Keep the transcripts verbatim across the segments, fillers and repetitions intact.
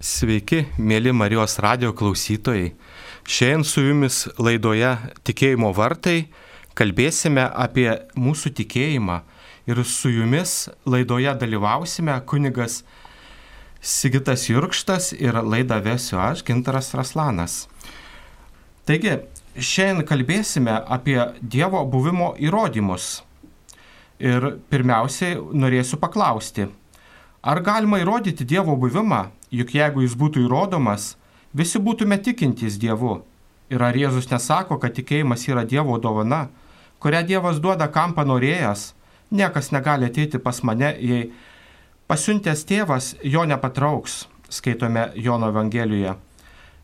Sveiki, mėly Marijos radijo klausytojai. Šiandien su jumis laidoje Tikėjimo vartai kalbėsime apie mūsų tikėjimą ir su jumis laidoje dalyvausime kunigas Sigitas Jurkštas ir laidą vesiu aš, Gintaras Raslanas. Taigi, šiandien kalbėsime apie Dievo buvimo įrodymus. Ir pirmiausiai norėsiu paklausti, ar galima įrodyti Dievo buvimą? Juk jeigu jis būtų įrodomas, visi būtume tikintys Dievu. Ir ar Jėzus nesako, kad tikėjimas yra Dievo dovana, kurią Dievas duoda kam panorėjęs? Niekas negali ateiti pas mane, jei pasiuntęs tėvas jo nepatrauks, skaitome Jono Evangelijoje.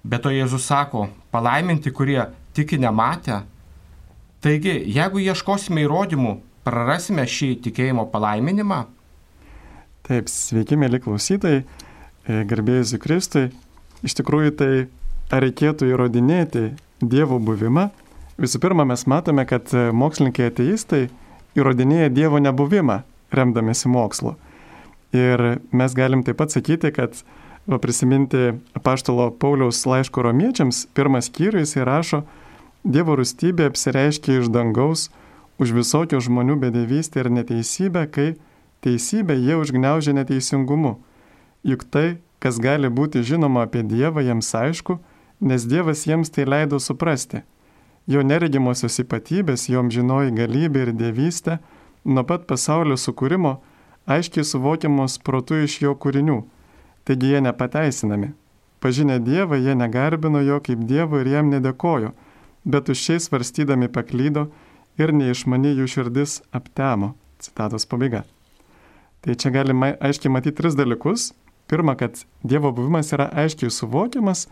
Bet to Jėzus sako, palaiminti, kurie tiki nematę. Taigi, jeigu ieškosime įrodymų, prarasime šį tikėjimo palaiminimą? Taip, sveiki, mėly klausytojai. Garbėjus Kristui, iš tikrųjų tai ar reikėtų įrodinėti Dievo buvimą? Visų pirma, mes matome, kad mokslininkai ateistai įrodinėja Dievo nebuvimą, remdamėsi mokslu. Ir mes galim taip pat sakyti, kad va, prisiminti apaštalo Pauliaus laiško romiečiams, pirmas skyrius įrašo, Dievo rūstybė apsireiškia iš dangaus už visokių žmonių bedevystę ir neteisybę, kai teisybę jie užgniaužia neteisingumu. Juk tai, kas gali būti žinoma apie Dievą, jiems aišku, nes Dievas jiems tai leido suprasti. Jo neregimosios ypatybės, jom žinoji galybė ir dievystė, nuo pat pasaulio sukūrimo, aiškiai suvokiamos protu iš jo kūrinių. Taigi jie nepateisinami. Pažinę Dievą, jie negarbino jo kaip Dievo ir jam nedėkojo, bet tuščiai svarstydami paklydo ir neišmani jų širdis aptemo. Citatos pabaiga. Tai čia galime aiškiai matyti tris dalykus. Pirma, kad Dievo buvimas yra aiškiai suvokiamas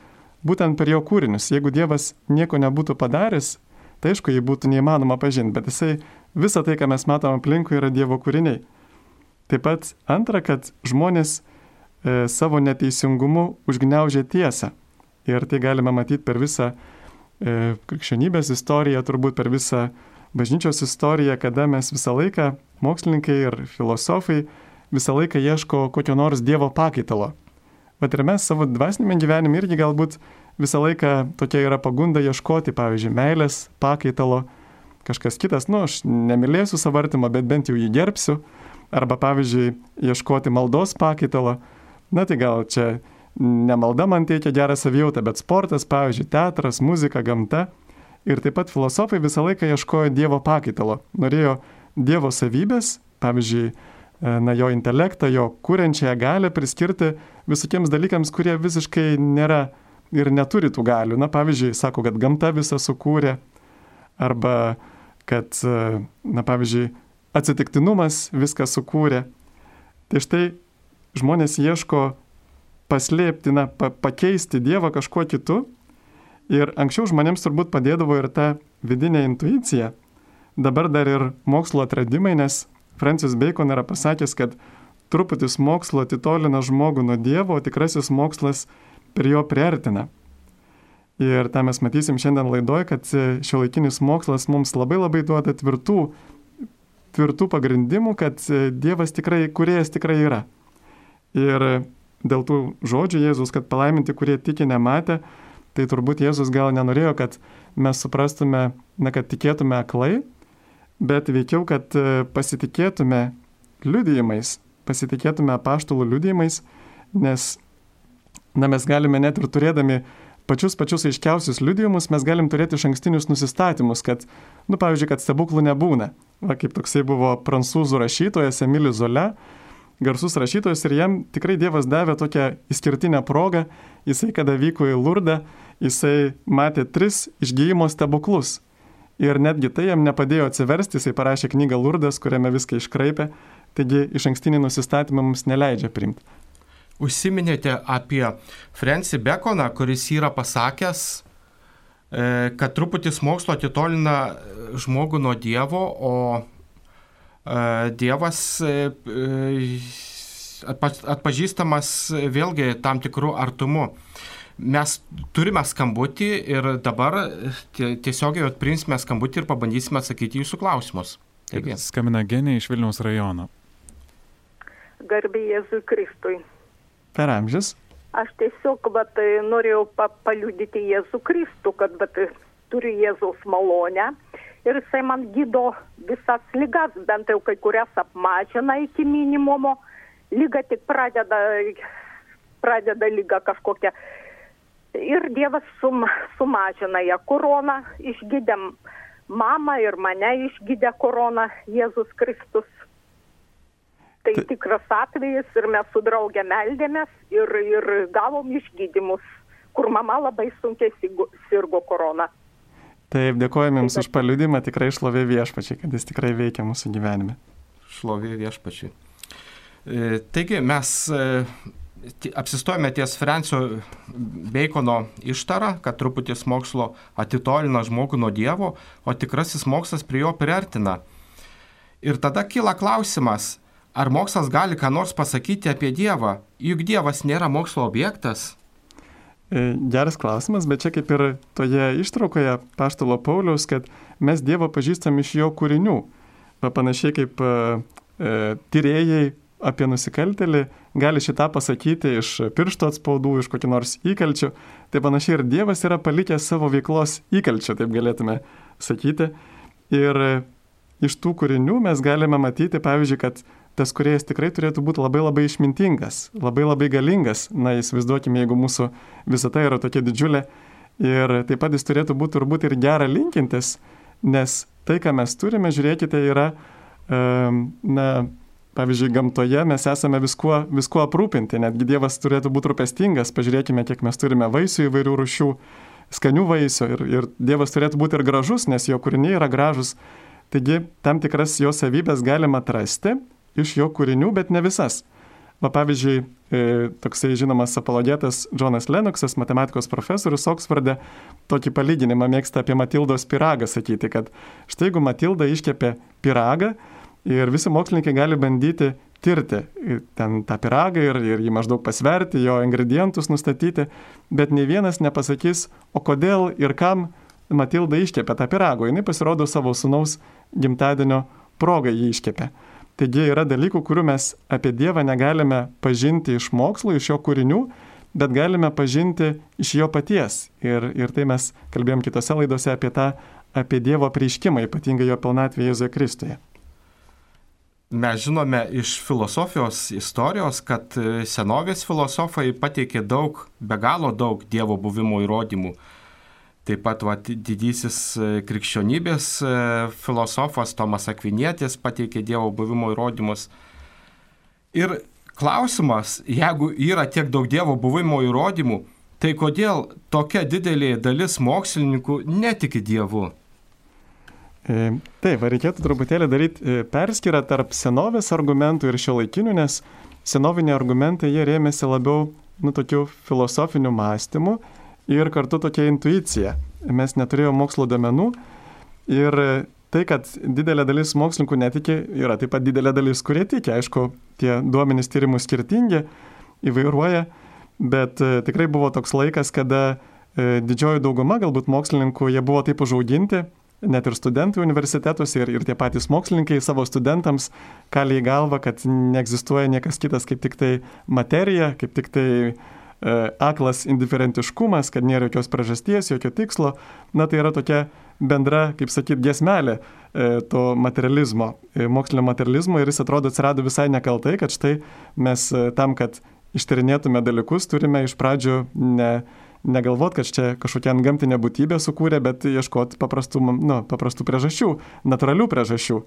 būtent per jo kūrinius. Jeigu Dievas nieko nebūtų padaręs, tai aišku, jį būtų neįmanoma pažinti, bet jisai visą tai, ką mes matome aplinkui, yra Dievo kūriniai. Taip pat antra, kad žmonės e, savo neteisingumu užgniaužia tiesą. Ir tai galime matyti per visą e, krikščionybės istoriją, turbūt per visą bažnyčios istoriją, kada mes visą laiką, mokslininkai ir filosofai, visą laiką ieško kokio nors Dievo pakaitalo. Vat ir mes savo dvasinėme gyvenime irgi galbūt visą laiką tokia yra pagunda ieškoti, pavyzdžiui, meilės pakaitalo, kažkas kitas, nu, aš nemylėsiu savo artimo, bet bent jau jį gerbsiu, arba, pavyzdžiui, ieškoti maldos pakaitalo, na tai gal čia ne malda man teikia gerą savijautą, bet sportas, pavyzdžiui, teatras, muzika, gamta. Ir taip pat filosofai visą laiką ieškojo Dievo pakaitalo, norėjo Dievo savybės, pavyzdžiui, na, jo intelektą, jo kuriančią galią priskirti visokiems dalykams, kurie visiškai nėra ir neturi tų galių. Na, pavyzdžiui, sako, kad gamta visą sukūrė, arba kad, na, pavyzdžiui, atsitiktinumas viską sukūrė. Tai štai žmonės ieško paslėpti, na, pa- pakeisti Dievą kažkuo kitu. Ir anksčiau žmonėms turbūt padėdavo ir ta vidinė intuicija. Dabar dar ir mokslo atradimai, nes Francis Bacon yra pasakęs, kad truputis mokslo atitolina žmogų nuo Dievo, o tikrasis mokslas prie jo priartina. Ir tą mes matysim šiandien laidoje, kad šiuolaikinis mokslas mums labai labai duoda tvirtų, tvirtų pagrindimų, kad Dievas tikrai, kūrėjas tikrai yra. Ir dėl tų žodžių Jėzus, kad palaiminti, kurie tiki nematę, tai turbūt Jėzus gal nenorėjo, kad mes suprastume, na, kad tikėtume aklai, bet veikiau, kad pasitikėtume liudijimais, pasitikėtume apaštalų liudijimais, nes, na, mes galime net ir turėdami pačius pačius aiškiausius liudijimus, mes galim turėti išankstinius nusistatymus, kad, nu, pavyzdžiui, kad stebuklų nebūna. Va, kaip toksai buvo prancūzų rašytojas Emilis Zola, garsus rašytojas, ir jam tikrai Dievas davė tokią išskirtinę progą. Jisai, kada vyko į Lurdą, jisai matė tris išgijimo stebuklus. Ir netgi tai jam nepadėjo atsiversti, jisai parašė knygą Lurdas, kuriame viską iškraipė, taigi išankstinį nusistatymą mums neleidžia priimti. Užsiminėte apie Francis Baconą, kuris yra pasakęs, kad truputis mokslo atitolina žmogų nuo Dievo, o Dievas atpažįstamas vėlgi tam tikrų artumu. Mes turime skambutį ir dabar tiesiogiai atprinsime skambutį ir pabandysime atsakyti jūsų klausimus. Taigi. Skambina Genė iš Vilniaus rajono. Garbė Jėzui Kristui. Per amžius. Aš tiesiog vat, norėjau pa, paliudyti Jėzų Kristų, kad vat, turiu Jėzaus malonę ir jisai man gydo visas ligas, bent jau kai kurias apmažina iki minimumo, lyga tik pradeda, pradeda lyga kažkokia. Ir Dievas sum, sumažina ją koroną, išgydė mamą ir mane išgydė koroną Jėzus Kristus. Tai tikras atvejis ir mes su draugė meldėmės ir, ir gavom išgydymus, kur mama labai sunkiai sirgo korona. Taip, dėkojame Jums už paliudimą, tikrai šlovė Viešpačiai, kad Jis tikrai veikia mūsų gyvenime. Šlovė Viešpačiai. E, taigi mes e, apsistojame ties Francio Bacono ištarą, kad truputis mokslo atitolina žmogų nuo Dievo, o tikrasis mokslas prie jo priartina. Ir tada kyla klausimas, ar mokslas gali ką nors pasakyti apie Dievą? Juk Dievas nėra mokslo objektas. Geras klausimas, bet čia kaip ir toje ištraukoje Apaštalo Pauliaus, kad mes Dievą pažįstam iš jo kūrinių. Panašiai kaip e, tyrėjai apie nusikaltėlį gali šitą pasakyti iš piršto atspaudų, iš kokį nors įkalčių. Tai panašiai ir Dievas yra palikęs savo veiklos įkalčių, taip galėtume sakyti. Ir iš tų kūrinių mes galime matyti, pavyzdžiui, kad tas kūrėjas tikrai turėtų būti labai labai išmintingas, labai labai galingas. Na, įsivaizduokime, jeigu mūsų visata yra tokia didžiulė. Ir taip pat jis turėtų būti turbūt ir gerą linkintis, nes tai, ką mes turime, žiūrėkite, yra, um, na, pavyzdžiui, gamtoje mes esame viskuo, viskuo aprūpinti. Netgi Dievas turėtų būti rūpestingas. Pažiūrėkime, kiek mes turime vaisių įvairių rūšių, skanių vaisių. Ir, ir Dievas turėtų būti ir gražus, nes jo kūriniai yra gražus. Taigi, tam tikras jo savybės galima atrasti iš jo kūrinių, bet ne visas. Va, pavyzdžiui, e, toksai žinomas apologetas Džonas Lenoksas, matematikos profesorius Oksforde, tokį palyginimą mėgsta apie Matildos pyragą sakyti, kad štai jeigu Matilda iškepė pyragą ir visi mokslininkai gali bandyti tirti ten tą pyragą ir, ir jį maždaug pasverti, jo ingredientus nustatyti, bet nei vienas nepasakys, o kodėl ir kam Matilda iškepė tą pyragą. Jis pasirodo savo sūnaus gimtadienio progą jį iškepė. Taigi yra dalykų, kurių mes apie Dievą negalime pažinti iš mokslo, iš jo kūrinių, bet galime pažinti iš jo paties. Ir, ir tai mes kalbėjom kitose laidose apie tą, apie Dievo apreiškimą, ypatingai jo pilnatvę Jėzuje Kristuje. Mes žinome iš filosofijos istorijos, kad senovės filosofai pateikė daug, be galo daug Dievo buvimo įrodymų. Taip pat va, didysis krikščionybės filosofas Tomas Akvinietis pateikė Dievo buvimo įrodymus. Ir klausimas, jeigu yra tiek daug Dievo buvimo įrodymų, tai kodėl tokia didelė dalis mokslininkų netiki Dievu? E, taip, reikėtų truputėlį daryti perskyrą tarp senovės argumentų ir šiuolaikinių, nes senoviniai argumentai jie rėmėsi labiau nu, tokiu filosofiniu mąstymu ir kartu tokia intuicija. Mes neturėjome mokslo duomenų ir tai, kad didelė dalis mokslininkų netiki, yra taip pat didelė dalis, kurie tiki. Aišku, tie duomenys tyrimų skirtingi, įvairuoja, bet tikrai buvo toks laikas, kada didžioji dauguma galbūt mokslininkų, jie buvo taip užauginti, net ir studentų universitetuose ir, ir tie patys mokslininkai savo studentams kalė į galvą, kad neegzistuoja niekas kitas kaip tik tai materija, kaip tik tai aklas indiferentiškumas, kad nėra jokios priežasties, jokio tikslo. Na, tai yra tokia bendra, kaip sakyt, giesmelė to materializmo, mokslinio materializmo ir jis atrodo atsirado visai nekaltai, kad štai mes tam, kad ištyrinėtume dalykus, turime iš pradžių ne, negalvot, kad čia kažkokia antgamtinė būtybė sukūrė, bet ieškoti paprastų, nu, paprastų priežasčių, natūralių priežasčių.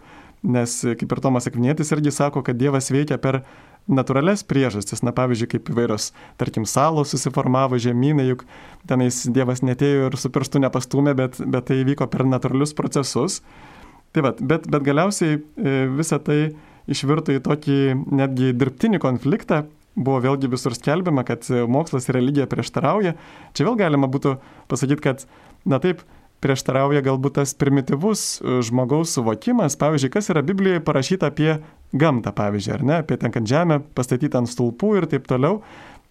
Nes kaip ir Tomas Akvinietis irgi sako, kad Dievas veikia per natūrales priežastis. Na, pavyzdžiui, kaip įvairios, tarkim, salos susiformavo, žemynai, juk tenais Dievas netėjo ir su pirštu nepastūmė, bet, bet tai įvyko per natūralius procesus. Tai va, bet, bet galiausiai visa tai išvirto į tokį netgi dirbtinį konfliktą. Buvo vėlgi visur skelbiama, kad mokslas ir religija prieštarauja. Čia vėl galima būtų pasakyti, kad, na taip, prieštarauja galbūt tas primityvus žmogaus suvokimas. Pavyzdžiui, kas yra Biblijoje parašyta apie gamtą, pavyzdžiui, ar ne, apie ten, kad žemė pastatyta ant stulpų ir taip toliau.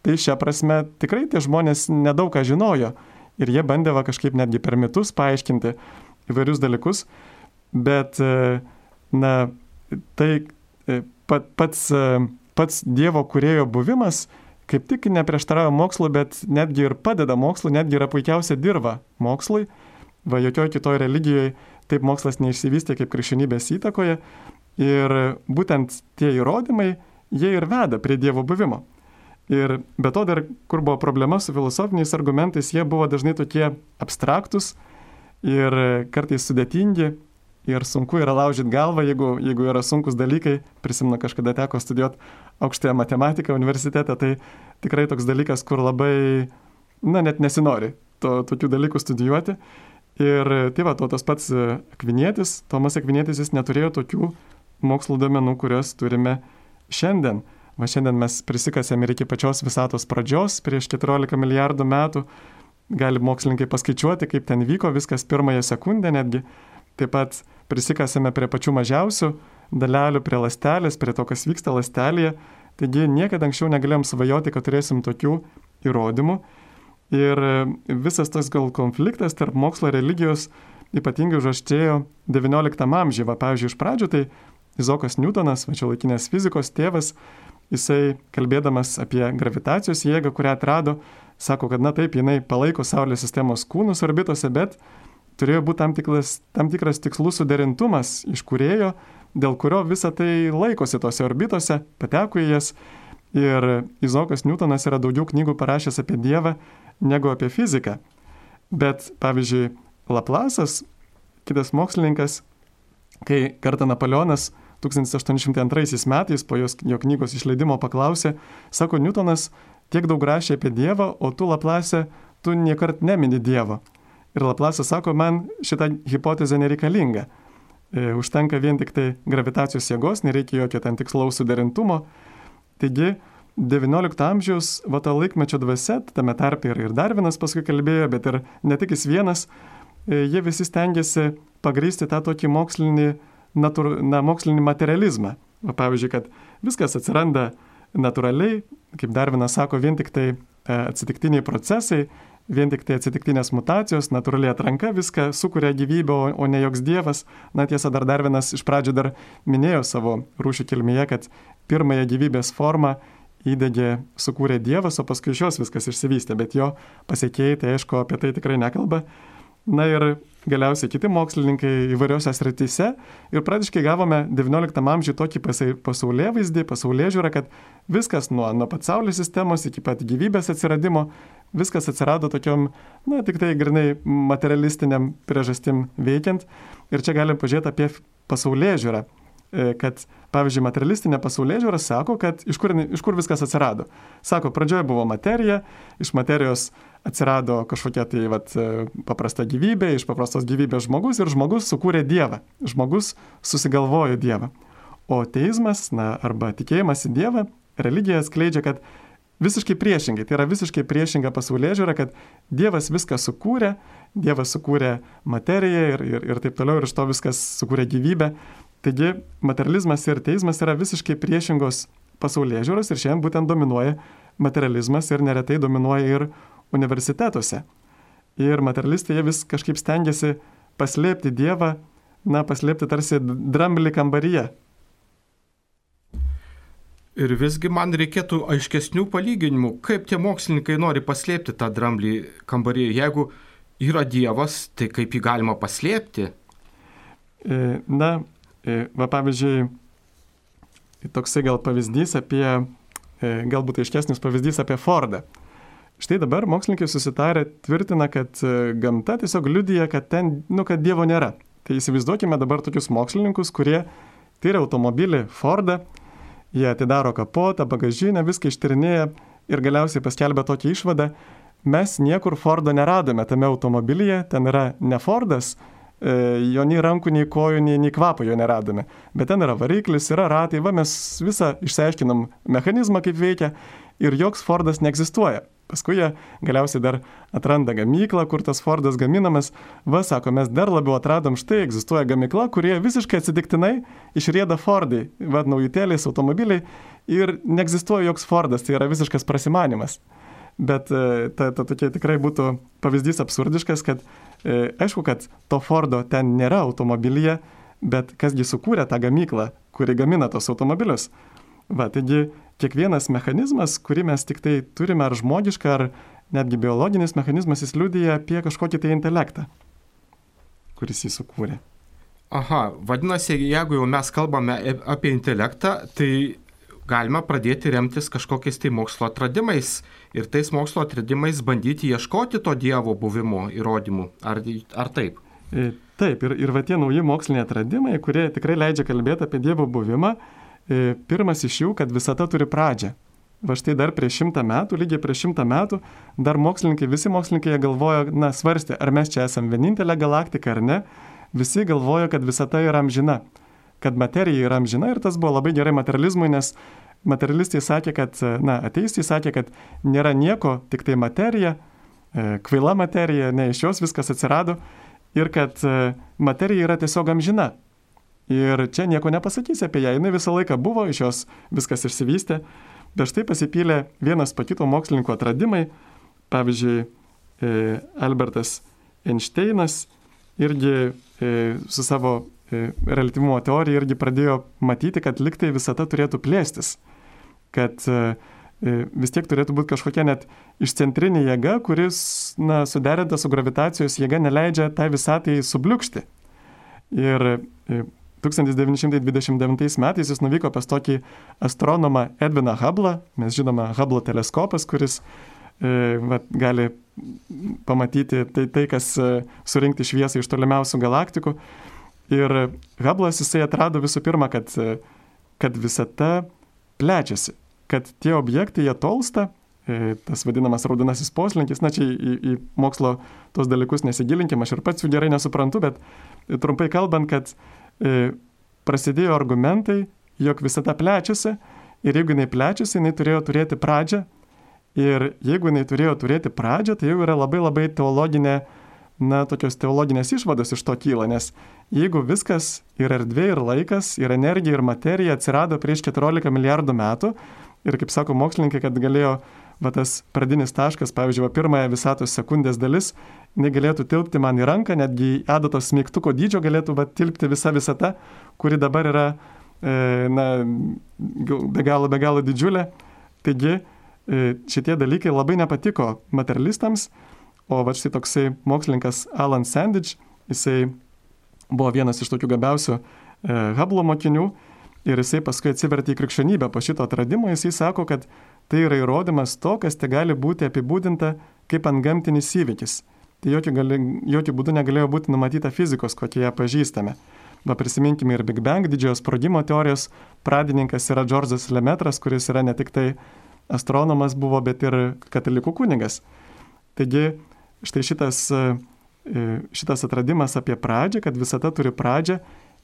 Tai šią prasme tikrai tie žmonės nedaug ką žinojo. Ir jie bandė va, kažkaip netgi per mitus paaiškinti įvairius dalykus. Bet, na, tai pat, pats, pats Dievo kūrėjo buvimas kaip tik neprieštarauja mokslui, bet netgi ir padeda mokslui, netgi yra puikiausia dirva mokslui. Va, jokioje kitoje religijoje taip mokslas neišsivystė kaip krikščionybės įtakoje. Ir būtent tie įrodymai, jie ir veda prie Dievo buvimo. Ir be to dar, kur buvo problema su filosofiniais argumentais, jie buvo dažnai tokie abstraktus ir kartais sudėtingi. Ir sunku yra laužyti galvą, jeigu, jeigu yra sunkus dalykai. Prisimenu, kažkada teko studijuoti aukštąją matematiką universitete, tai tikrai toks dalykas, kur labai, na, net nesinori to, tokių dalykų studijuoti. Ir tai va, to tas pats Akvinietis, Tomas Akvinietis, jis neturėjo tokių mokslo duomenų, kuriuos turime šiandien. Va šiandien mes prisikasėm ir iki pačios visatos pradžios, prieš keturiolika milijardų metų. Gali mokslininkai paskaičiuoti, kaip ten vyko viskas pirmąją sekundę netgi. Taip pat prisikasėme prie pačių mažiausių dalelių, prie ląstelės, prie to, kas vyksta ląstelėje. Taigi niekada anksčiau negalėjom svajoti, kad turėsim tokių įrodymų. Ir visas tas gal konfliktas tarp mokslo ir religijos ypatingai užaštrėjo devynioliktam amžiuje. Va, pavyzdžiui, iš pradžių tai Izaokas Niutonas, va čia laikinės fizikos tėvas, jisai kalbėdamas apie gravitacijos jėgą, kurią atrado, sako, kad na taip, jinai palaiko Saulės sistemos kūnus orbitose, bet turėjo būti tam tikras, tam tikras tikslų suderintumas iš kūrėjo, dėl kurio visa tai laikosi tose orbitose, pateko į jas. Ir Izaokas Niutonas yra daugiau knygų parašęs apie Dievą negu apie fiziką. Bet, pavyzdžiui, Laplasas, kitas mokslininkas, kai kartą Napoleonas tūkstantis aštuoni šimtai antraisiais metais po jos, jo knygos išleidimo paklausė, sako, Niutonas tiek daug rašė apie Dievą, o tu, Laplase, tu niekart nemini Dievo. Ir Laplasas sako, man šita hipotezė nereikalinga. E, užtenka vien tik tai gravitacijos jėgos, nereikia jokio ten tikslaus suderintumo. Taigi, devyniolikto amžiaus va to laikmečio dvasia, tame tarpe ir, ir Darvinas paskui kalbėjo, bet ir ne tik jis vienas, e, jie visi stengiasi pagrįsti tą tokį mokslinį, natur, na, mokslinį materializmą. Va, pavyzdžiui, kad viskas atsiranda natūraliai, kaip Darvinas sako, vien tik tai atsitiktiniai procesai, vien tik tai atsitiktinės mutacijos, natūraliai atranka viską sukuria gyvybę, o, o ne joks dievas. Na tiesa, dar Darvinas iš pradžių dar minėjo savo rūšių kilmėje, kad pirmąją gyvybės formą įdegė, sukūrė Dievas, o paskui iš jos viskas išsivystė, bet jo pasiekėjai tai aišku apie tai tikrai nekalba. Na ir galiausiai kiti mokslininkai įvairiose srityse ir praktiškai gavome devynioliktam amžiuje tokį pasaulėvaizdį, pasaulėžiūrą, kad viskas nuo, nuo pat Saulės sistemos iki pat gyvybės atsiradimo, viskas atsirado tokiom, na, tik tai grinai materialistiniam priežastim veikiant. Ir čia galim pažiūrėti apie pasaulėžiūrą, kad, pavyzdžiui, materialistinė pasaulėžiūra sako, kad iš kur, iš kur viskas atsirado. Sako, pradžioje buvo materija, iš materijos atsirado kažkokia tai vat, paprasta gyvybė, iš paprastos gyvybės žmogus ir žmogus sukūrė Dievą. Žmogus susigalvojo Dievą. O teizmas, na, arba tikėjimas į Dievą, religija skleidžia, kad visiškai priešingai, tai yra visiškai priešinga pasaulėžiūra, kad Dievas viską sukūrė, Dievas sukūrė materiją ir, ir, ir taip toliau, ir iš to viskas sukūrė gyvybę. Taigi materializmas ir teizmas yra visiškai priešingos pasaulėžiūros ir šiandien būtent dominuoja materializmas ir neretai dominuoja ir universitetuose. Ir materialistai jie vis kažkaip stengiasi paslėpti Dievą, na, paslėpti tarsi dramblį kambaryje. Ir visgi man reikėtų aiškesnių palyginimų, kaip tie mokslininkai nori paslėpti tą dramblį kambaryje. Jeigu yra Dievas, tai kaip jį galima paslėpti? Na, va pavyzdžiui, toksai gal pavyzdys apie, galbūt aiškesnis pavyzdys apie Fordą. Štai dabar mokslininkai susitarę tvirtina, kad gamta tiesiog liudija, kad ten, nu, kad Dievo nėra. Tai įsivaizduokime dabar tokius mokslininkus, kurie tyria automobilį Fordą, jie atidaro kapotą, bagažinę, viską ištyrinėja ir galiausiai paskelbia tokią išvadą. Mes niekur Fordo neradome tame automobilyje, ten yra ne Fordas, jo nei rankų, nei kojų, nei, nei kvapo jo neradome. Bet ten yra variklis, yra ratai, va mes visą išsiaiškinom mechanizmą, kaip veikia ir joks Fordas neegzistuoja. Paskui jie galiausiai dar atranda gamyklą, kur tas Fordas gaminamas. Va, sako, mes dar labiau atradom, štai egzistuoja gamykla, kurie visiškai atsitiktinai išrieda Fordai, va, naujutėliais automobiliai ir neegzistuoja joks Fordas, tai yra visiškas prasimanimas. Bet ta, ta tokia tikrai būtų pavyzdys absurdiškas, kad e, aišku, kad to Fordo ten nėra automobilyje, bet kasgi sukūrė tą gamyklą, kuri gamina tos automobilius. Va, taigi kiekvienas mechanizmas, kurį mes tik tai turime, ar žmogišką, ar netgi biologinis mechanizmas, jis liudija apie kažkokį tai intelektą, kuris jį sukūrė. Aha, vadinasi, jeigu jau mes kalbame apie intelektą, tai galime pradėti remtis kažkokiais tai mokslo atradimais ir tais mokslo atradimais bandyti ieškoti to Dievo buvimo įrodymų. Ar, ar taip? Taip, ir, ir va tie nauji moksliniai atradimai, kurie tikrai leidžia kalbėti apie Dievo buvimą, pirmas iš jų, kad visata turi pradžią. Va štai dar prieš šimtą metų, lygiai prieš šimtą metų, dar mokslininkai, visi mokslininkai jie galvojo, na, svarstė, ar mes čia esame vienintelė galaktika ar ne. Visi galvojo, kad visata yra amžina, kad materija yra amžina ir tas buvo labai gerai materializmui, nes materialistai sakė, kad, na, ateistai sakė, kad nėra nieko, tik tai materija, kvaila materija, ne iš jos viskas atsirado ir kad materija yra tiesiog amžina. Ir čia nieko nepasakysi apie ją, jinai visą laiką buvo, iš jos viskas išsivystė. Bet štai pasipylė vienas po kito mokslininkų atradimai. Pavyzdžiui, Albertas Einšteinas irgi su savo reliatyvumo teorija irgi pradėjo matyti, kad liktai visata turėtų plėstis. Kad vis tiek turėtų būti kažkokia net išcentrinė jėga, kuris, na, suderinta su gravitacijos jėga neleidžia tai visatai subliukšti. Ir tūkstantis devyni šimtai dvidešimt devintais metais jis nuvyko pas tokį astronomą Edviną Hubblą, mes žinome Hubble teleskopas, kuris e, va, gali pamatyti tai, tai, kas e, surinkti šviesą iš tolimiausių galaktikų. Ir Hubble'as jisai atrado visų pirma, kad, e, kad visata plečiasi, kad tie objektai jie tolsta, e, tas vadinamas raudonasis poslinkis, na čia į, į mokslo tos dalykus nesigilinkim, aš ir pats jų gerai nesuprantu, bet e, trumpai kalbant, kad E, prasidėjo argumentai, jog visata plečiasi ir jeigu jinai plečiasi, jinai turėjo turėti pradžią ir jeigu jinai turėjo turėti pradžią, tai jau yra labai labai teologinė, na, tokios teologinės išvados iš to kyla, nes jeigu viskas ir erdvė, ir laikas, ir energija, ir materija atsirado prieš keturiolika milijardų metų ir, kaip sako mokslininkai, kad galėjo va tas pradinis taškas, pavyzdžiui, va pirmąją visatos sekundės dalis, jinai galėtų tilpti man į ranką, netgi į adatos smeigtuko dydžio galėtų va tilpti visa visata, kuri dabar yra e, na, be galo, be galo didžiulė. Taigi e, šitie dalykai labai nepatiko materialistams, o va štai toksai mokslininkas Alan Sandage, jisai buvo vienas iš tokių gabiausių e, Hubble'o mokinių ir jisai paskui atsivertė į krikščionybę po šito atradimo, jisai sako, kad tai yra įrodymas to, kas te gali būti apibūdinta kaip antgamtinis įvykis. Tai jokių, gali, jokių būdų negalėjo būti numatyta fizikos, kokie ją pažįstame. Va prisiminkime ir Big Bang, didžiojo sprogimo teorijos pradininkas yra Džordžas Lemetras, kuris yra ne tik tai astronomas buvo, bet ir katalikų kunigas. Taigi štai šitas, šitas atradimas apie pradžią, kad visata turi pradžią,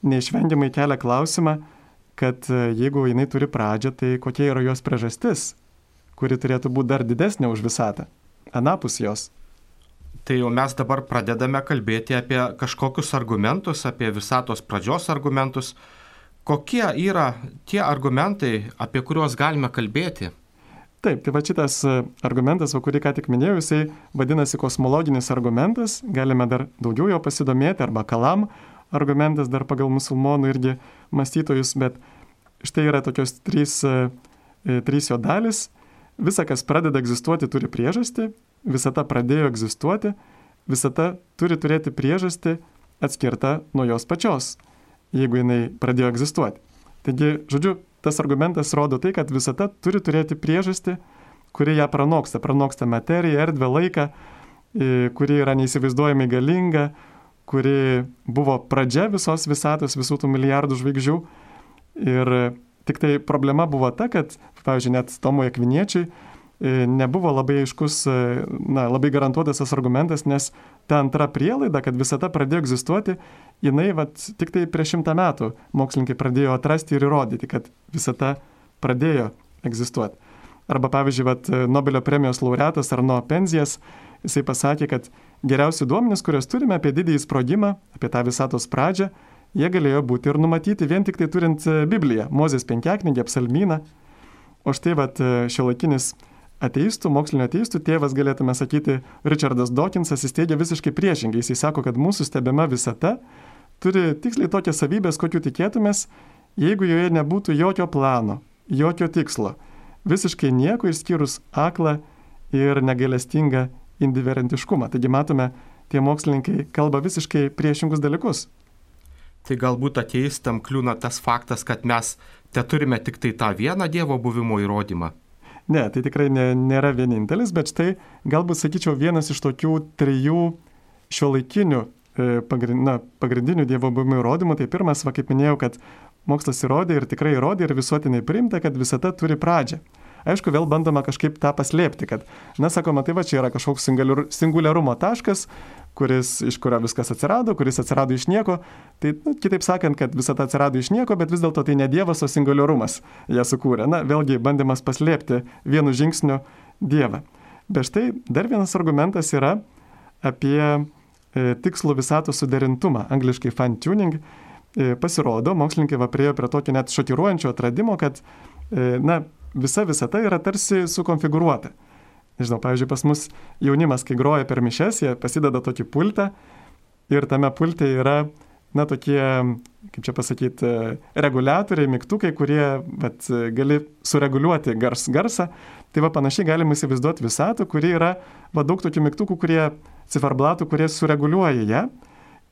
neišvengiamai kelia klausimą, kad jeigu jinai turi pradžią, tai kokia yra jos priežastis, kuri turėtų būti dar didesnė už visatą, anapus jos. Tai jau mes dabar pradedame kalbėti apie kažkokius argumentus, apie visatos pradžios argumentus. Kokie yra tie argumentai, apie kuriuos galime kalbėti? Taip, tai va šitas argumentas, va, kurį ką tik minėjau, jisai vadinasi kosmologinis argumentas, galime dar daugiau jo pasidomėti, arba kalam argumentas dar pagal musulmonų irgi mąstytojus, bet štai yra tokios trys, trys jo dalis. Visa, kas pradeda egzistuoti, turi priežastį, visata pradėjo egzistuoti, visata turi turėti priežastį atskirtą nuo jos pačios, jeigu jinai pradėjo egzistuoti. Taigi, žodžiu, tas argumentas rodo tai, kad visata turi turėti priežastį, kuri ją pranoksta, pranoksta materiją, erdvę, laiką, kuri yra neįsivaizduojamai galinga, kuri buvo pradžia visos visatos, visų tų milijardų žvaigždžių. Ir tik tai problema buvo ta, kad, pavyzdžiui, net Tomui Akviniečiui nebuvo labai aiškus, na, labai garantuotas tas argumentas, nes ta antra prielaida, kad visata pradėjo egzistuoti, jinai vat, tik tai prieš šimtą metų mokslininkai pradėjo atrasti ir įrodyti, kad visata pradėjo egzistuoti. Arba, pavyzdžiui, vat, Nobelio premijos laureatas Arno Penzijas, jisai pasakė, kad geriausi duomenys, kuriuos turime apie didįjį sprogimą, apie tą visatos pradžią, jie galėjo būti ir numatyti vien tik tai turint Bibliją, Mozės penkiaknygę, psalmyną. O štai vat, šiuolaikinis ateistų, mokslinio ateistų tėvas, galėtume sakyti, Richardas Dawkinsas, jis teigia visiškai priešingai. Jis sako, kad mūsų stebima visata turi tiksliai tokias savybės, kokių tikėtumės, jeigu joje nebūtų jokio plano, jokio tikslo, visiškai nieko išskyrus aklą ir negailestingą indiferentiškumą. Taigi matome, tie mokslininkai kalba visiškai priešingus dalykus. Tai galbūt ateistam kliūna tas faktas, kad mes te turime tik tai tą vieną Dievo buvimo įrodymą. Ne, tai tikrai ne, nėra vienintelis, bet štai galbūt sakyčiau vienas iš tokių trijų šiuolaikinių e, pagrind, na, pagrindinių Dievo buvimo įrodymų. Tai pirmas, va, kaip minėjau, kad mokslas įrodė ir tikrai įrodė ir visuotinai priimta, kad visata turi pradžią. Aišku, vėl bandoma kažkaip tą paslėpti, kad, na, sakoma, tai va čia yra kažkoks singuliarumo taškas, kuris, iš kurio viskas atsirado, kuris atsirado iš nieko. Tai, nu, kitaip sakant, kad visata atsirado iš nieko, bet vis dėlto tai ne Dievas, o singuliarumas ją sukūrė. Na, vėlgi bandymas paslėpti vienu žingsniu Dievą. Bet štai dar vienas argumentas yra apie e, tikslų visatos suderintumą, angliškai fine tuning. E, pasirodo, mokslininkai va priejo prie tokio net šokiruojančio atradimo, kad, e, na, visa visata yra tarsi sukonfigūruota. Nežinau, pavyzdžiui, pas mus jaunimas, kai groja per mišias, jie pasideda tokį pultą ir tame pulte yra, na, tokie, kaip čia pasakyti, reguliatoriai, mygtukai, kurie, vat, gali sureguliuoti gars, garsą. Tai va panašiai galima įsivaizduoti visatą, kuri yra, va, daug tokių mygtukų, kurie, ciferblatų, kurie sureguliuoja ją.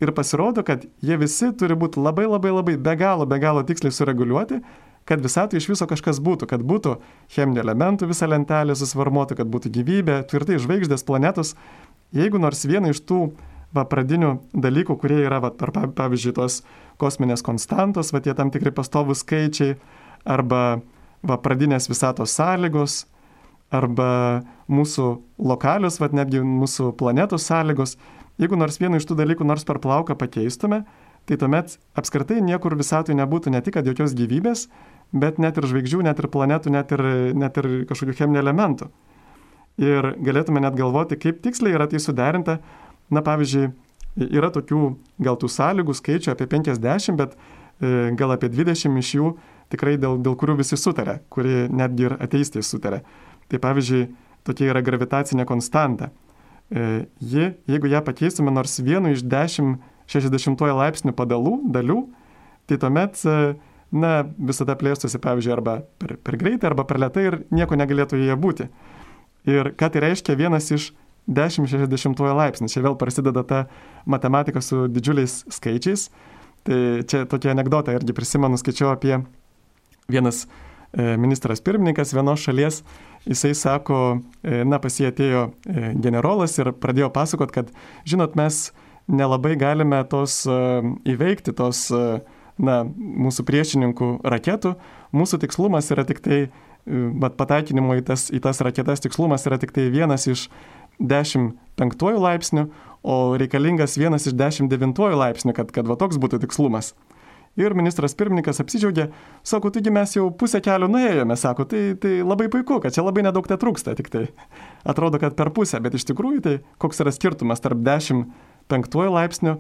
Ir pasirodo, kad jie visi turi būti labai, labai, labai be galo, be galo tiksliai sureguliuoti, kad visatui iš viso kažkas būtų, kad būtų cheminių elementų visa lentelė susvarmuota, kad būtų gyvybė, tvirtai žvaigždės, planetos. Jeigu nors vieną iš tų va, pradinių dalykų, kurie yra, va, per, pavyzdžiui, tos kosminės konstantos, va, tie tam tikri pastovūs skaičiai, arba va, pradinės visatos sąlygos, arba mūsų lokalios, va, netgi mūsų planetos sąlygos, jeigu nors vieną iš tų dalykų nors per plauką pakeistume, tai tuomet apskritai niekur visatui nebūtų ne tik kad jokios gyvybės, bet net ir žvaigždžių, net ir planetų, net ir, net ir kažkokių cheminių elementų. Ir galėtume net galvoti, kaip tiksliai yra tai suderinta. Na, pavyzdžiui, yra tokių gal tų sąlygų skaičių apie penkiasdešimt, bet e, gal apie dvidešimt iš jų tikrai dėl, dėl kurių visi sutarė, kuri netgi ir ateistai sutarė. Tai pavyzdžiui, tokia yra gravitacinė konstanta. E, ji, jeigu ją pakeistume nors vienu iš dešimt šešiasdešimtojo laipsnių padalų, dalių, tai tuomet, na, visada plėstusi, pavyzdžiui, arba per, per greitai, arba per lėtai ir nieko negalėtų joje būti. Ir ką tai reiškia vienas iš dešimt šešiasdešimtojo laipsnių. Čia vėl prasideda ta matematika su didžiuliais skaičiais. Tai čia tokia anekdota, irgi prisimenu, skaičiau apie vienas e, ministras pirmininkas vienos šalies, jisai sako, e, na, pas jį atėjo e, generolas ir pradėjo pasakot, kad, žinot, mes nelabai galime tos uh, įveikti, tos uh, na, mūsų priešininkų raketų. Mūsų tikslumas yra tik tai, uh, pataikinimo į tas, į tas raketas tikslumas yra tik tai vienas iš dešimt penktųjų laipsnių, o reikalingas vienas iš dešimt devintųjų laipsnių, kad, kad va toks būtų tikslumas. Ir ministras pirmininkas apsidžiaugė, sako, taigi mes jau pusę kelio nuėjome, sako, tai, tai labai puiku, kad čia labai nedaug te trūksta, tik tai atrodo, kad per pusę, bet iš tikrųjų tai koks yra skirtumas tarp dešimt penktuoju laipsniu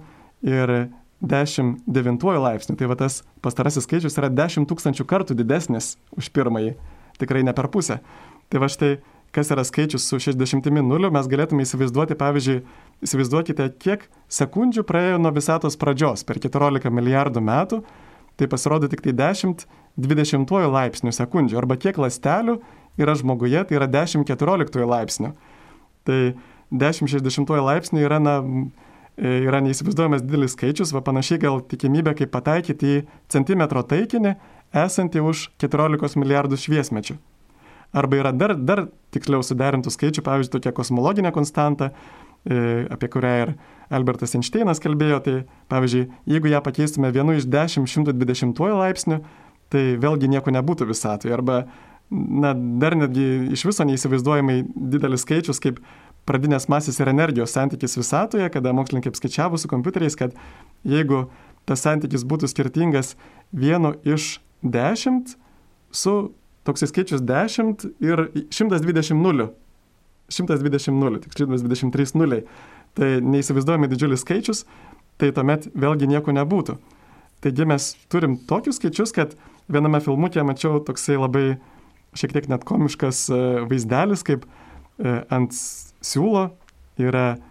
ir dešimt devintuoju laipsniu. Tai va tas pastarasis skaičius yra dešimt tūkstančių kartų didesnis už pirmąjį, tikrai ne per pusę. Tai va štai, kas yra skaičius su šešiasdešimtimi nuliu, mes galėtume įsivaizduoti, pavyzdžiui, įsivaizduokite, kiek sekundžių praėjo nuo visatos pradžios per keturiolika milijardų metų, tai pasirodo tik tai dešimt dvidešimtuoju laipsnių sekundžių, arba kiek ląstelių yra žmoguje, tai yra dešimt keturioliktuoju laipsnių. Tai dešimt šešiasdešimtuoju laipsnių yra, na, yra neįsivaizduojamas didelis skaičius, va panašiai gal tikimybė, kaip pataikyti į centimetro taikinį esantį už keturiolikos milijardų šviesmečių. Arba yra dar, dar tiksliau suderintų skaičių, pavyzdžiui, tokia kosmologinė konstanta, apie kurią ir Albertas Einšteinas kalbėjo, tai pavyzdžiui, jeigu ją pakeistume vienu iš dešimt šimtų dvidešimtuoju laipsnių, tai vėlgi nieko nebūtų visatoje. Arba, na, dar netgi iš viso neįsivaizduojamai didelis skaičius, kaip pradinės masės ir energijos santykis visatoje, kada mokslininkai apskaičiavo su kompiuteriais, kad jeigu tas santykis būtų skirtingas vienu iš dešimt su toksai skaičius dešimt ir šimtas dvidešimt nulių. šimtas dvidešimt nulių, tik šimtas dvidešimt trys nuliai. Tai neįsivaizduojami didžiulis skaičius, tai tuomet vėlgi nieko nebūtų. Taigi mes turim tokius skaičius, kad viename filmuke mačiau toksai labai šiek tiek net komiškas vaizdelis, kaip ant siūlo yra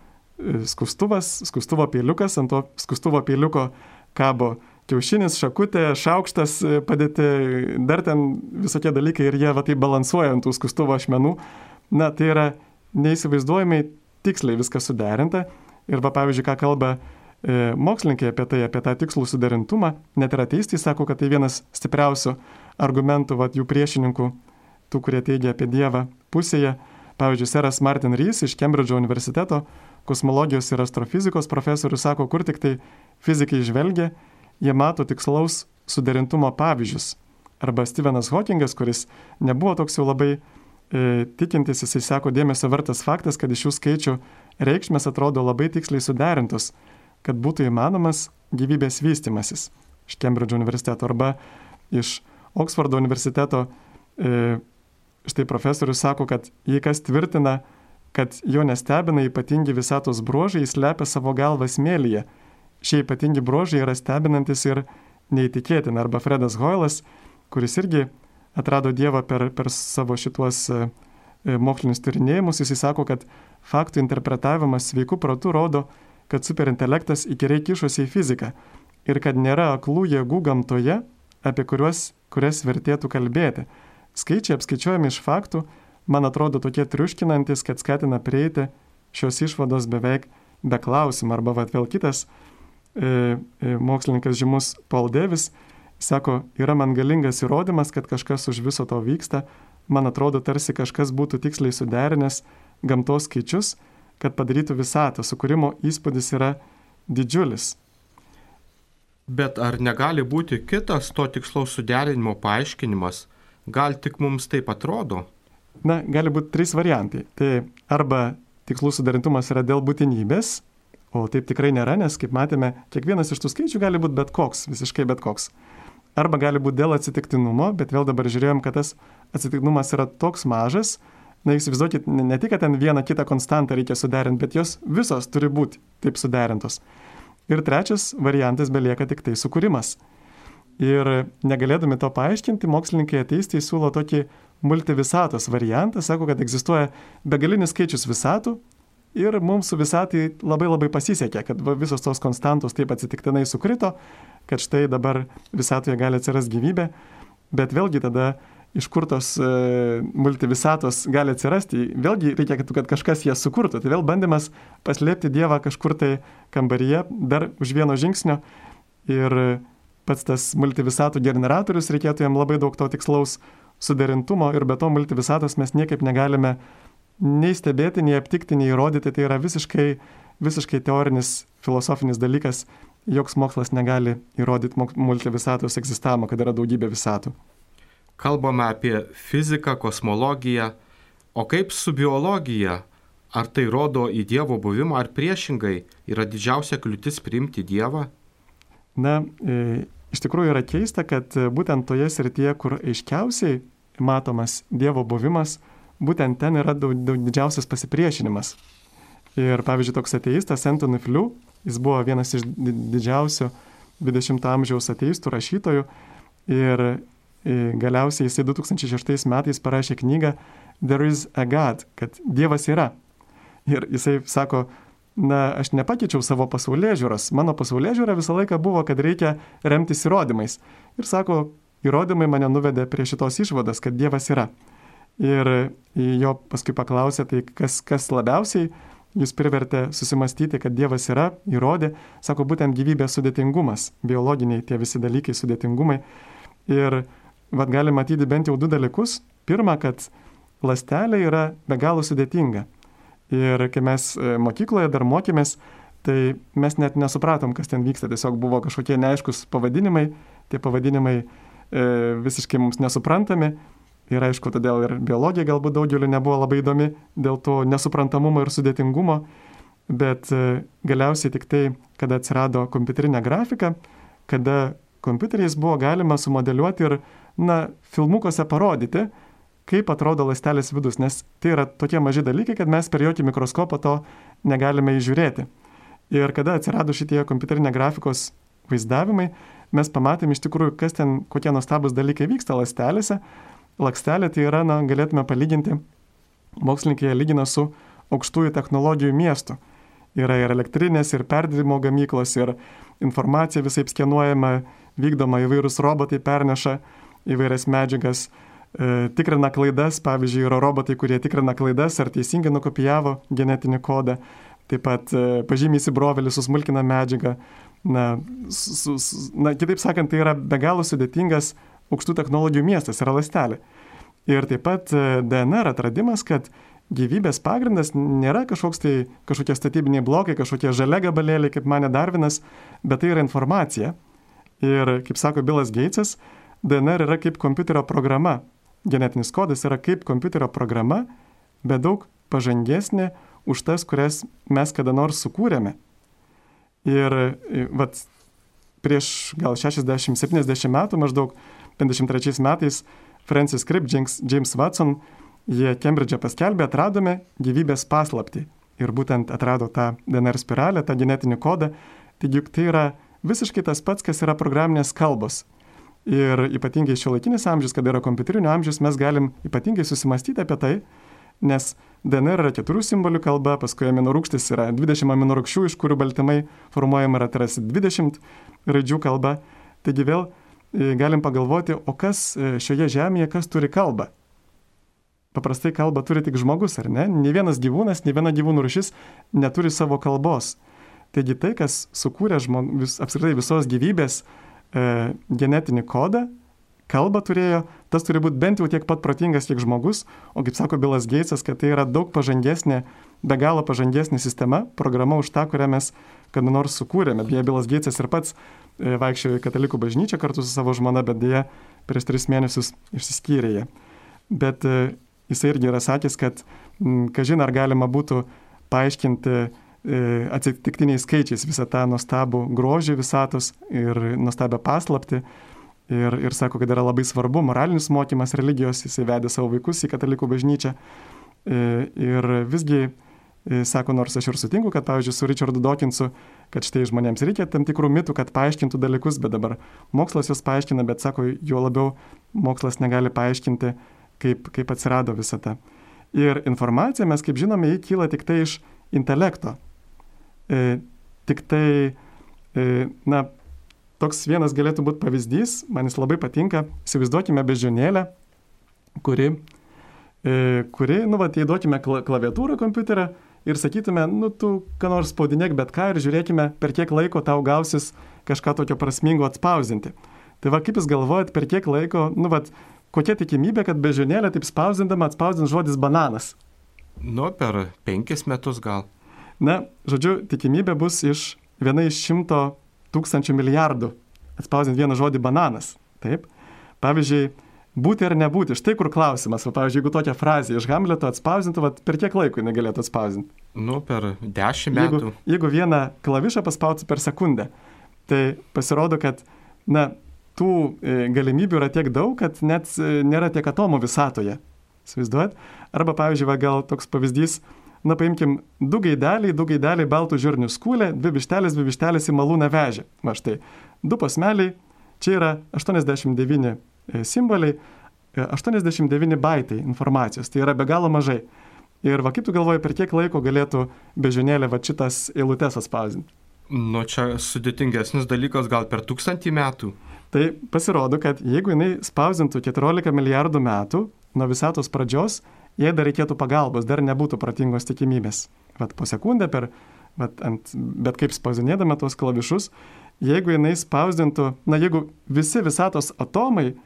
skustuvas, skustuvo peiliukas, ant to skustuvo peiliuko kabo kiaušinis, šakutė, šaukštas padėti, dar ten visokie dalykai ir jie va taip balansuoja ant tų skustuvo ašmenų. Na, tai yra neįsivaizduojamai tiksliai viskas suderinta. Ir va, pavyzdžiui, ką kalba e, mokslininkai apie tai, apie tą tikslų suderintumą, net ir ateistai sako, kad tai vienas stipriausių argumentų va, jų priešininkų, tų, kurie teigia apie Dievą pusėje. Pavyzdžiui, seras Martin Rees iš Kembridžo universiteto, kosmologijos ir astrofizikos profesorius, sako, kur tik tai fizikai žvelgia, jie mato tikslaus suderintumo pavyzdžius. Arba Stephenas Hawkingas, kuris nebuvo toks jau labai e, tikintis, jisai sako, dėmesio vertas faktas, kad iš šių skaičių reikšmės atrodo labai tiksliai suderintos, kad būtų įmanomas gyvybės vystimasis. Iš Kembridžo universiteto arba iš Oksfordo universiteto e, štai profesorius sako, kad jei kas tvirtina, kad jo nestebina ypatingi visatos bruožai, jis slepia savo galvą smėlyje. Šie ypatingi bruožai yra stebinantis ir neįtikėtina. Arba Fredas Hoylas, kuris irgi atrado Dievą per, per savo šituos e, mokslinius tyrinėjimus, jis sako, kad faktų interpretavimas sveikų protų rodo, kad superintelektas įkyriai kišosi į fiziką ir kad nėra aklų jėgų gamtoje, apie kuriuos, kurias vertėtų kalbėti. Skaičiai apskaičiuojami iš faktų, man atrodo tokie triuškinantis, kad skatina prieiti šios išvados beveik be klausimų. Arba vat, vėl kitas e, e, mokslininkas žymus Paul Davis sako, yra man galingas įrodymas, kad kažkas už viso to vyksta. Man atrodo, tarsi kažkas būtų tiksliai suderinęs gamtos skaičius, kad padarytų visatą. Sukūrimo įspūdis yra didžiulis. Bet ar negali būti kitas to tikslaus suderinimo paaiškinimas? Gal tik mums taip atrodo? Na, gali būti trys variantai. Tai arba tikslų suderintumas yra dėl būtinybės, o taip tikrai nėra, nes, kaip matėme, kiekvienas iš tų skaičių gali būti bet koks, visiškai bet koks. Arba gali būti dėl atsitiktinumo, bet vėl dabar žiūrėjom, kad tas atsitiktinumas yra toks mažas. Na, įsivaizduokit, ne tik, kad ten vieną kitą konstantą reikia suderinti, bet jos visos turi būti taip suderintos. Ir trečias variantas belieka tik tai sukūrimas. Ir negalėdami to paaiškinti, mokslininkai ateistai siūlo tokį multivisatos variantą, sako, kad egzistuoja begalinis skaičius visatų ir mums su visatai labai labai pasisekė, kad visos tos konstantos taip atsitiktinai sukrito, kad štai dabar visatoje gali atsirasti gyvybė, bet vėlgi tada iš kur tos e, multivisatos gali atsirasti, vėlgi reikia, kad, kad kažkas jas sukurtų. Tai vėl bandymas paslėpti Dievą kažkur tai kambaryje, dar už vieno žingsnio ir pats tas multivisatų generatorius, reikėtų jam labai daug to tikslaus suderintumo ir be to multivisatos mes niekaip negalime nei stebėti, nei aptikti, nei įrodyti. Tai yra visiškai, visiškai teorinis, filosofinis dalykas. Joks mokslas negali įrodyti multivisatos egzistavimo, kad yra daugybė visatų. Kalbame apie fiziką, kosmologiją, o kaip su biologija? Ar tai rodo į Dievo buvimą, ar priešingai yra didžiausia kliūtis priimti Dievą? Na, e, iš tikrųjų yra keista, kad būtent toje srityje, kur aiškiausiai matomas Dievo buvimas, būtent ten yra daug, daug didžiausias pasipriešinimas. Ir pavyzdžiui, toks ateistas Anthony Flew, jis buvo vienas iš didžiausių dvidešimto amžiaus ateistų rašytojų ir e, galiausiai jisai du tūkstančiai šeštais metais parašė knygą There is a God, kad Dievas yra. Ir jisai sako, na, aš nepakeičiau savo pasaulėžiūros. Mano pasaulėžiūra visą laiką buvo, kad reikia remtis įrodymais. Ir sako, įrodymai mane nuvedė prie šitos išvados, kad Dievas yra. Ir jo paskui paklausė, tai kas, kas labiausiai jūs privertė susimastyti, kad Dievas yra, įrodė, sako, būtent gyvybės sudėtingumas, biologiniai tie visi dalykai, sudėtingumai. Ir vat gali matyti bent jau du dalykus. Pirma, kad ląstelė yra be galo sudėtinga. Ir kai mes mokykloje dar mokėmės, tai mes net nesupratom, kas ten vyksta. Tiesiog buvo kažkokie neaiškus pavadinimai, tie pavadinimai e, visiškai mums nesuprantami. Ir aišku, todėl ir biologija galbūt daugeliu nebuvo labai įdomi dėl to nesuprantamumo ir sudėtingumo. Bet e, galiausiai tik tai, kada atsirado kompiuterinė grafika, kada kompiuteriais buvo galima sumodeliuoti ir, na, filmukuose parodyti, kaip atrodo ląstelės vidus, nes tai yra tokie maži dalykai, kad mes per jokį mikroskopą to negalime įžiūrėti. Ir kada atsirado šitie kompiuterinė grafikos vaizdavimai, mes pamatėm iš tikrųjų, kas ten, kokie nuostabus dalykai vyksta ląstelėse. Ląstelė tai yra, na, galėtume palyginti, mokslininkai lygina su aukštųjų technologijų miestu. yra ir elektrinės, ir perdirbimo gamyklos, ir informacija visai skenuojama, vykdoma, įvairūs robotai perneša įvairias medžiagas, e, tikrina klaidas, pavyzdžiui, yra robotai, kurie tikrina klaidas, ar teisingai nukopijavo genetinį kodą, taip pat e, pažymė įsibrovelį, susmulkina medžiagą. Na, su, su, na, kitaip sakant, tai yra be galo sudėtingas aukštų technologijų miestas, yra ląstelė. Ir taip pat D N R atradimas, kad gyvybės pagrindas nėra kažkoks tai, kažkokie statybiniai blokai, kažkokie žalia gabalėliai, kaip manė Darvinas, bet tai yra informacija. Ir, kaip sako Bilas Geitsas, D N R yra kaip kompiuterio programa. Genetinis kodas yra kaip kompiuterio programa, bet daug pažangesnė už tas, kurias mes kada nors sukūrėme. Ir vat, prieš gal šešiasdešimt septyniasdešimt metų, maždaug penkiasdešimt trečiais metais, Francis Crick, James, James Watson, jie Kembridže paskelbė, atradome gyvybės paslaptį. Ir būtent atrado tą D N R spiralę, tą genetinį kodą. Taigi tai yra visiškai tas pats, kas yra programinės kalbos. Ir ypatingai šiuolaikinis amžius, kada yra kompiuterinio amžius, mes galim ypatingai susimastyti apie tai, nes D N R yra keturių simbolių kalba, paskui aminorūgštis yra dvidešimt aminorūgščių, iš kurių baltymai formuojama yra tarsi dvidešimt raidžių kalba. Taigi vėl e, galim pagalvoti, o kas e, šioje žemėje, kas turi kalbą? Paprastai kalbą turi tik žmogus, ar ne? Nė vienas gyvūnas, nė viena gyvūnų rūšis neturi savo kalbos. Taigi tai, kas sukūrė žmog, vis, apskritai visos gyvybės e, genetinį kodą, kalbą turėjo, tas turi būti bent jau tiek pat protingas, kiek žmogus, o kaip sako Bilas Geitsas, kad tai yra daug pažangesnė, be galo pažangesnė sistema, programa už tą, kurią mes kada nors sukūrėme. Beje, Bilas Geitsas ir pats e, vaikščiojo į katalikų bažnyčią kartu su savo žmona, bet dėja prieš tris mėnesius išsiskyrė jie. Bet e, jisai irgi yra sakęs, kad m, kažin ar galima būtų paaiškinti e, atsitiktiniais skaičiais visą tą nuostabų grožį visatos ir nuostabę paslaptį. Ir, ir sako, kad yra labai svarbu moralinis mokymas religijos, jisai vedė savo vaikus į katalikų bažnyčią. E, ir visgi, e, sako, nors aš ir sutinku, kad, pavyzdžiui, su Richardu Dawkinsu, kad štai žmonėms reikia tam tikrų mitų, kad paaiškintų dalykus, bet dabar mokslas juos paaiškina, bet, sako, juo labiau mokslas negali paaiškinti, kaip, kaip atsirado visa ta. Ir informacija, mes kaip žinome, jį kyla tik tai iš intelekto. E, tik tai, e, na, toks vienas galėtų būti pavyzdys, man jis labai patinka, įsivaizduokime beždžionėlę, kuri, e, kuri nu, va, įduokime klaviatūrą kompiuterio ir sakytume, nu, tu ką nors spaudinėk bet ką ir žiūrėkime, per kiek laiko tau gausis kažką tokio prasmingo atspausinti. Tai va, kaip jūs galvojat, per kiek laiko, nu, va, kokia tikimybė, kad beždžionėlė taip spausdindama atspausdins žodis bananas? Nu, per penkis metus gal. Na, žodžiu, tikimybė bus iš viena iš šimto tūkstančių milijardų atspausdinti vieną žodį bananas. Taip. Pavyzdžiui, būti ar nebūti. Štai kur klausimas. Va, pavyzdžiui, jeigu tokią frazę iš Hamleto atspausdintų, va, per kiek laiko jinai galėtų atspausdinti? Nu, per dešimt metų. Jeigu, jeigu vieną klavišą paspautų per sekundę, tai pasirodo, kad na, tų e, galimybių yra tiek daug, kad net e, nėra tiek atomų visatoje. Įsivaizduojat? Arba, pavyzdžiui, va, gal toks pavyzdys, na, paimkim, du gaideliai, du gaideliai baltų žirnių skūlė, dvi vištelės, dvi vištelės į malūną vežė. Va štai, du posmeliai, čia yra aštuoniasdešimt devyni simboliai, aštuoniasdešimt devyni baitai informacijos, tai yra be galo mažai. Ir va, kaip tu galvoji, per kiek laiko galėtų beždžionėlė va šitas eilutes atspausdinti? Nu, čia sudėtingesnis dalykas, gal per tūkstantį metų. Tai pasirodo, kad jeigu jinai spausdintų keturiolika milijardų metų nuo visatos pradžios, jei dar reikėtų pagalbos, dar nebūtų protingos tikimybės. Vat po sekundę per, vat ant, bet kaip spausdinėdama tuos klavišus, jeigu jinai spausdintų, na jeigu visi visatos atomai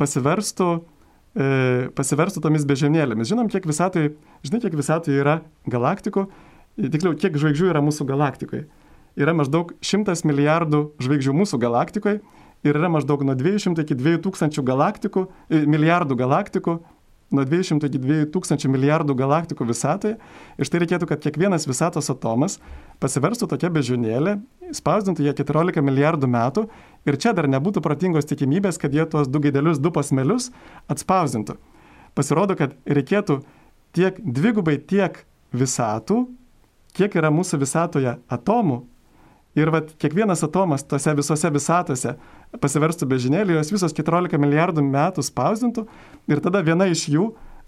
pasiverstų, e, pasiverstų tomis beždžionėlėmis. Žinom, kiek visatoje, žinai, kiek visatoje yra galaktikų, tiksliau, kiek žvaigždžių yra mūsų galaktikoje. Yra maždaug šimtas milijardų žvaigždžių mūsų galaktikoje ir yra maždaug nuo dviejų šimtų iki dviejų tūkstančių galaktikų, e, milijardų galaktikų, nuo dviejų šimtų iki dviejų tūkstančių milijardų galaktikų visatoje. Ir štai reikėtų, kad kiekvienas visatos atomas pasiverstų tokia beždžionėlė, spausdintų ją keturiolika milijardų metų ir čia dar nebūtų protingos tikimybės, kad jie tuos du gaidelius, du posmelius atspausdintų. Pasirodo, kad reikėtų tiek dvigubai tiek visatų, kiek yra mūsų visatoje atomų. Ir vat, kiekvienas atomas tose visose visatose pasiverstų beždžionėlė, jos visos keturiolika milijardų metų spausdintų ir tada viena iš jų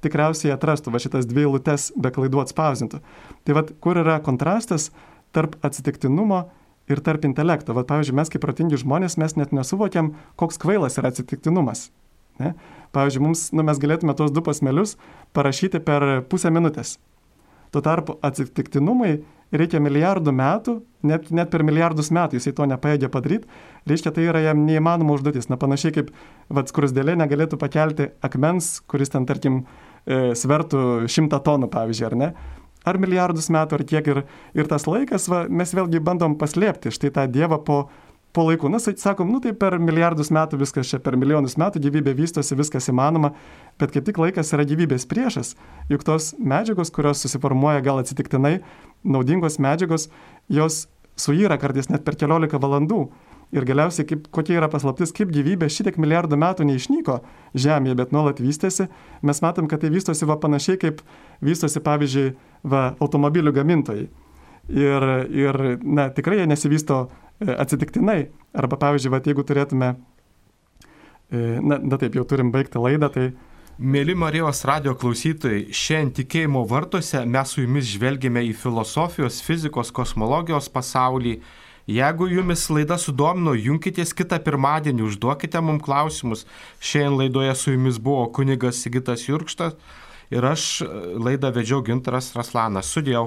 tikriausiai atrastų va šitas dvi eilutes be klaidų atspausdintų. Tai vat, kur yra kontrastas, tarp atsitiktinumo ir tarp intelekto. Vat, pavyzdžiui, mes kaip protingi žmonės, mes net nesuvokiam, koks kvailas yra atsitiktinumas. Ne? Pavyzdžiui, mums, nu, mes galėtume tos du posmelius parašyti per pusę minutės. Tuo tarpu atsitiktinumui reikia milijardų metų, net, net per milijardus metų jisai to nepajėgia padaryti, reiškia, tai yra jam neįmanoma užduotis. Na, panašiai kaip vat, skrusdėlė negalėtų pakelti akmens, kuris ten, tarkim, e, svertų šimtą tonų, pavyzdžiui, ar ne? Ar milijardus metų, ar kiek. Ir, ir tas laikas, va, mes vėlgi bandom paslėpti štai tą Dievą po, po laikų. Na, sakom, nu tai per milijardus metų viskas čia, per milijonus metų gyvybė vystosi, viskas įmanoma, bet kaip tik laikas yra gyvybės priešas. Juk tos medžiagos, kurios susiformuoja gal atsitiktinai, naudingos medžiagos, jos suyra kartais net per keliolika valandų. Ir galiausiai, kaip, kokia yra paslaptis, kaip gyvybė šitiek milijardų metų neišnyko Žemėje, bet nuolat vystėsi. Mes matom, kad tai vystosi va panašiai, kaip vystosi, pavyzdžiui, va, automobilių gamintojai. Ir, ir na, tikrai jie nesivysto atsitiktinai. Arba, pavyzdžiui, va, jeigu turėtume, na, na taip, jau turim baigti laidą, tai... Mėly Marijos radijo klausytojai, šiandien tikėjimo vartuose mes su jumis žvelgėme į filosofijos, fizikos, kosmologijos pasaulį. Jeigu jumis laida sudomino, junkitės kitą pirmadienį, užduokite mums klausimus. Šiandien laidoje su jumis buvo kunigas Sigitas Jurkštas ir aš laidą vedžiau Gintaras Raslanas. Sudėjau.